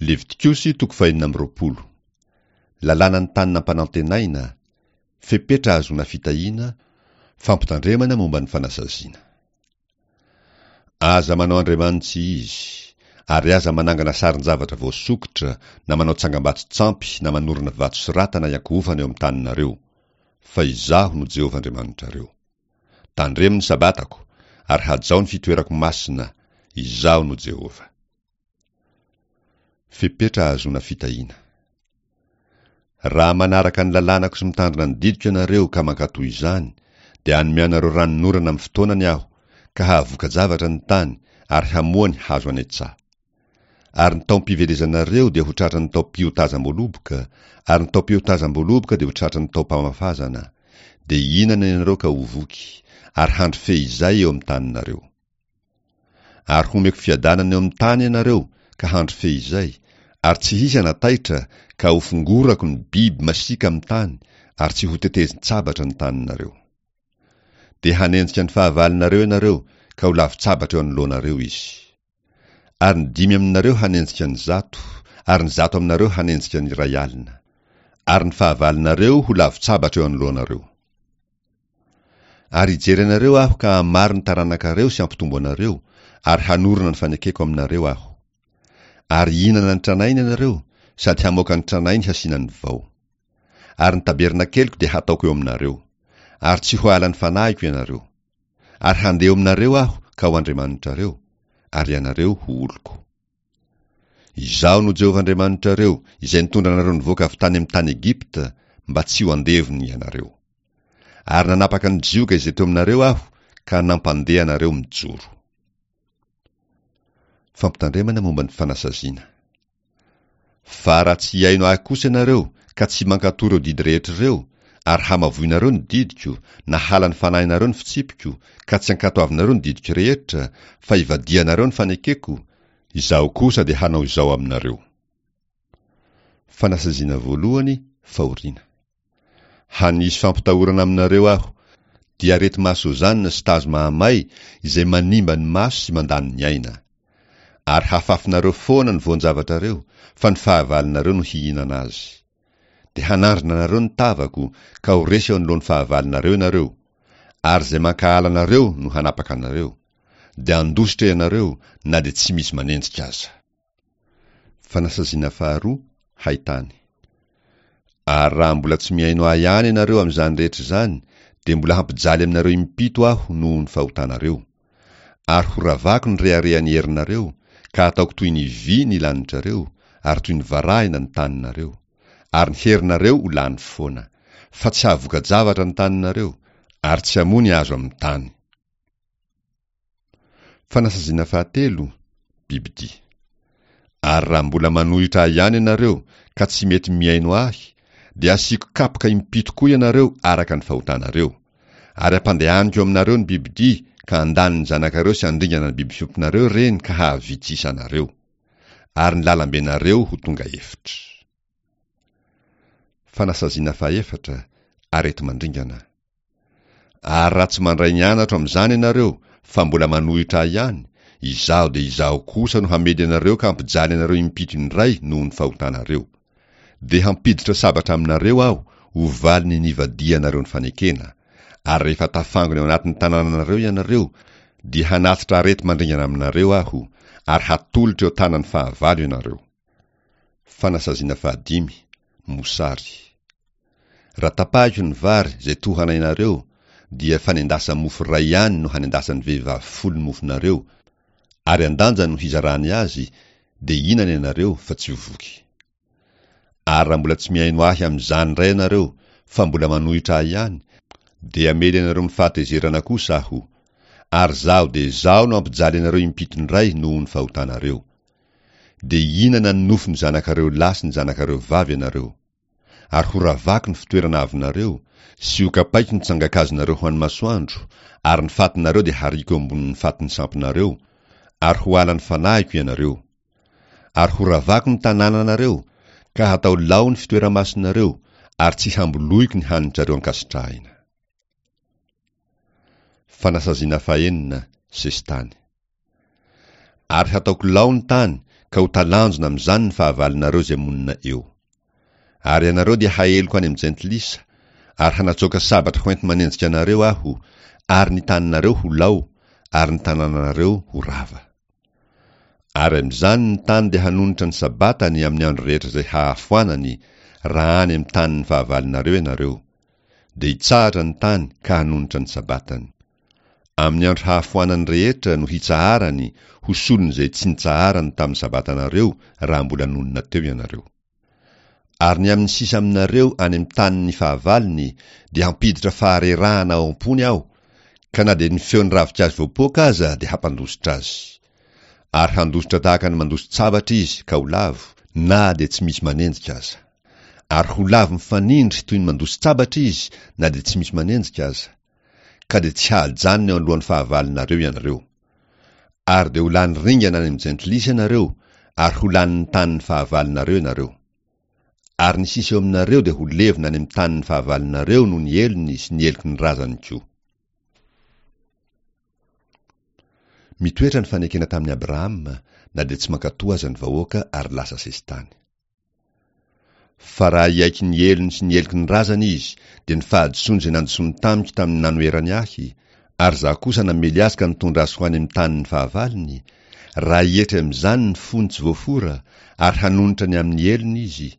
Levitikosy toko fahenina amby 20. Lalànan'ny tany nampanantenaina, fepetra ahazoana fitahiana, fampitandremana momba ny fanasaziana. Aza manao andriamani-tsy izy, ary aza manangana sarin-javatra voasokitra na manao tsangambato-tsampy na manorina vato soratana iankohofana eo amin'ny taninareo, fa Izaho no Jehovah Andriamanitrareo. Tandremo ny Sabatako, ary hajao ny fitoerako masina, Izaho no Jehovah. Fepetra ahazoana fitahiana. Raha manaraka ny lalànako sy mitandrina ny didiko ianareo ka mankatò izany, dia hanome anareo ranonorana amin'ny fotoanany Aho, ka hahavoka-javatra ny tany ary hamoa ny hazo any an-tsaha. Ary ny taom-pivelezanareo dia ho tratran'ny taom-piotazam-boaloboka, ary ny taom-piotazam-boaloboka dia ho tratran'ny taom-pamafazana. Dia hihinana ianareo ka ho voky, ary handry fehizay eo amin'ny taninareo. Ary homeko fiadanana eo amin'ny tany ianareo ka handry fehizay, ary tsy hisy hanataitra ka hofongorako ny biby masiaka amin'ny tany, ary tsy hotetezin-tsabatra ny taninareo. Dia hanenjika ny fahavalonareo ianareo ka ho lavin-tsabatra eo anoloanareo izy. Ary ny dimy aminareo hanenjika ny zato, ary ny zato aminareo hanenjika ny 1000. Ary ny fahavalonareo ho lavin-tsabatra eo anoloanareo. Ary hijery anareo Aho ka hamaro ny taranakareo sy hampitombo anareo, ary hanorina ny fanekeko aminareo Aho. Ary hihinana ny tranainy ianareo, sady hamoaka ny tranainy hasiana ny vao. Ary ny tabernakeliko dia hataoko eo aminareo, ary tsy ho halan'ny fanahiko ianareo. Ary handeha eo aminareo Aho ka ho Andriamanitrareo, ary ianareo ho oloko. Izaho no Jehovah Andriamanitrareo, izay nitondra anareo nivoaka avy tany amin'ny tany Egypta, mba tsy ho andevony ianareo. Ary nanapaka ny zioga izay teo aminareo Aho, ka nampandeha anareo mijoro. Fampitandremana momba ny fanasaziana. Fa raha tsy hihaino Ahy kosa ianareo, ka tsy mankatò ireo didy rehetra ireo, ary hamavoinareo ny didiko, na halan'ny fanahinareo ny fitsipiko, ka tsy ankatoavinareo ny didiko rehetra, fa ivadihanareo ny fanekeko, Izaho kosa dia hanao izao aminareo. Fanasaziana voalohany, fahoriana. Hanisy fampitahorana aminareo Aho, dia areti-mahasozanina sy tazo mahamay izay manimba ny maso sy mandany ny aina. Ary hafafinareo foana ny voan-javatrareo, fa ny fahavalonareo no hihinana azy. Dia hanandrina anareo ny tavako, ka ho resy eo anoloan'ny fahavalonareo ianareo, ary izay mankahala anareo no hanapaka anareo. Dia handositra ianareo na dia tsy misy manenjika aza. Fanasaziana faharoa, haitany. Ary raha mbola tsy mihaino Ahy ihany ianareo amin'izany rehetra izany, dia mbola hampijaly aminareo impito Aho noho ny fahotanareo. Ary horavako ny reharehan'ny herinareo, ka hataoko toy ny vy ny lanitrareo, ary toy ny varahina ny taninareo. Ary ny herinareo ho lany foana. Fa tsy hahavoka-javatra ny taninareo, ary tsy hamoa ny hazo amin'ny tany. Fanasaziana fahatelo, bibidia. Ary raha mbola manohitra Ahy ihany ianareo ka tsy mety mihaino Ahy, dia hasiako kapoka impito koa ianareo araka ny fahotanareo. Ary hampandehaniko eo aminareo ny bibidia ka handany ny zanakareo sy handringana ny biby fiompinareo ireny ka hahavitsy isa anareo. Ary ny lalambenareo ho tonga efitra. Fanasaziana fahefatra, areti-mandringana. Ary raha tsy mandray ny anatro amin'izany ianareo, fa mbola manohitra Ahy ihany, Izaho dia Izaho kosa no hamely anareo ka hampijaly anareo impito indray noho ny fahotanareo. Dia hampiditra sabatra aminareo Aho ho valin'ny nivadihanareo ny fanekena, ary rehefa tafangona eo anatin'ny tanànanareo ianareo, dia hanatitra areti-mandringana aminareo Aho, ary hatolotra eo tanan'ny fahavalo ianareo. Fanasaziana fahadimy, mosary. Raha tapahiko ny vary izay tohanainareo, dia fanendasa-mofo iray ihany no hanendasan'ny vehivavy folo ny mofonareo, ary an-danja no hizarany azy, dia hihinana ianareo fa tsy ho voky. Ary raha mbola tsy mihaino ahy amin'izany indray ianareo, fa mbola manohitra ahy ihany, dia hamely anareo amin'ny fahatezerana kosa aho, ary izaho dia izaho no hampijaly anareo impito indray noho ny fahotanareo. Dia hihinana ny nofon'ny zanakareo lahy sy ny zanakareo vavy ianareo. Ary horavako ny fitoerana avonareo, sy hokapaiko ny tsangan-kazonareo ho an'ny masoandro, ary ny fatinareo dia hariako eo ambonin'ny fatin'ny sampinareo, ary ho halan'ny fanahiko ianareo. Ary horavako ny tanànanareo, ka hatao lao ny fitoera-masinareo, ary tsy hamboloiko ny hanitrareo ankasitrahina. Fanasaziana fahenina, sesitany. Ary hataoko lao ny tany, Ka ho talanjona amin'izany ny fahavalonareo izay monina eo. Ary ianareo dia haeloko any amin'ny jentilisa, ary hanatsoaka sabatra hoenti-manenjika anareo Aho, ary ny taninareo ho lao, ary ny tanànanareo ho rava. Ary amin'izany ny tany dia hanonitra ny Sabatany amin'ny andro rehetra izay hahafoanany, raha any amin'ny tanin'ny fahavalonareo ianareo. Dia hitsahatra ny tany ka hanonitra ny Sabatany. Amin'ny andro hahafoanany rehetra no hitsaharany ho solon'izay tsy nitsaharany tamin'ny Sabatanareo raha mbola nonina teo ianareo. Ary ny amin'ny sisa aminareo any amin'ny tanin'ny fahavalony dia hampiditra faharerahana ao am-pony Aho, ka na dia ny feon'ny ravinkazo voapoaka aza dia hampandositra azy. Ary handositra tahaka ny mandosi-tsabatra izy ka ho lavo, na dia tsy misy manenjika aza. Ary ho lavo mifanindry toy ny mandosi-tsabatra izy na dia tsy misy manenjika aza. Ka dia tsy hahajanona eo anoloan'ny fahavalonareo ianareo. Ary dia ho lany ringana any amin'ny jentilisa ianareo, ary ho lanin'ny tanin'ny fahavalonareo ianareo. Ary ny sisa eo aminareo dia ho levona any amin'ny tanin'ny fahavalonareo noho ny helony sy ny heloky ny razany koa. Mitoetra ny fanekena tamin'i Abrahama, na dia tsy mankatò aza ny vahoaka ary lasa sesitany. Fa raha hiaiky ny helony sy ny heloky ny razany izy, dia ny fahadisoany izay nandisoany tamiko tamin'ny nanoherany ahy, ary izaho kosa namely azy ka nitondra azy ho any amin'ny tanin'ny fahavalony, raha hietry amin'izany ny fony tsy voafora, ary hanonitra ny amin'ny helony izy,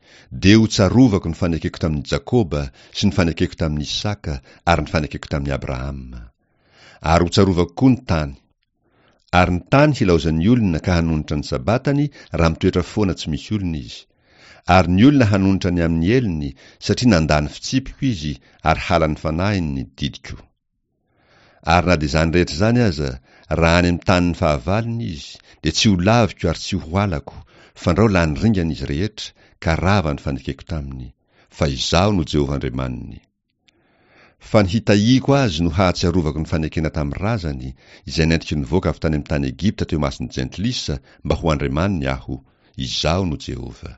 dia hotsarovako ny fanekeko tamin'i Jakoba, sy ny fanekeko tamin'i Isaka, ary ny fanekeko tamin'i Abrahama. Ary hotsarovako koa ny tany. Ary ny tany hilaozan'ny olona ka hanonitra ny Sabatany raha mitoetra foana tsy misy olona izy. Ary ny olona hanonitra ny amin'ny helony, satria nandà ny fitsipiko izy ary halan'ny fanahiny ny didiko. Ary na dia izany rehetra izany aza, raha any amin'ny tanin'ny fahavalony izy, dia tsy ho laviko ary tsy ho halako, fandrao lany ringana izy rehetra, ka rava ny fanekeko taminy. Fa Izaho no Jehovah Andriamaniny. Fa ny hitahiako azy no hahatsiarovako ny fanekena tamin'ny razany, izay nentiko nivoaka avy tany amin'ny tany Egypta teo imason'ny jentilisa mba ho Andriamaniny Aho, Izaho no Jehovah.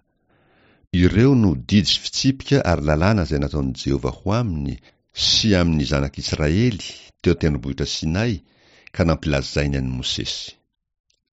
Ireo no didy sy fitsipika ary lalàna izay nataon'i Jehovah ho aminy sy amin'ny zanak'Israely teo an-tendrombohitra Sinay ka nampilazainy an'i Mosesy.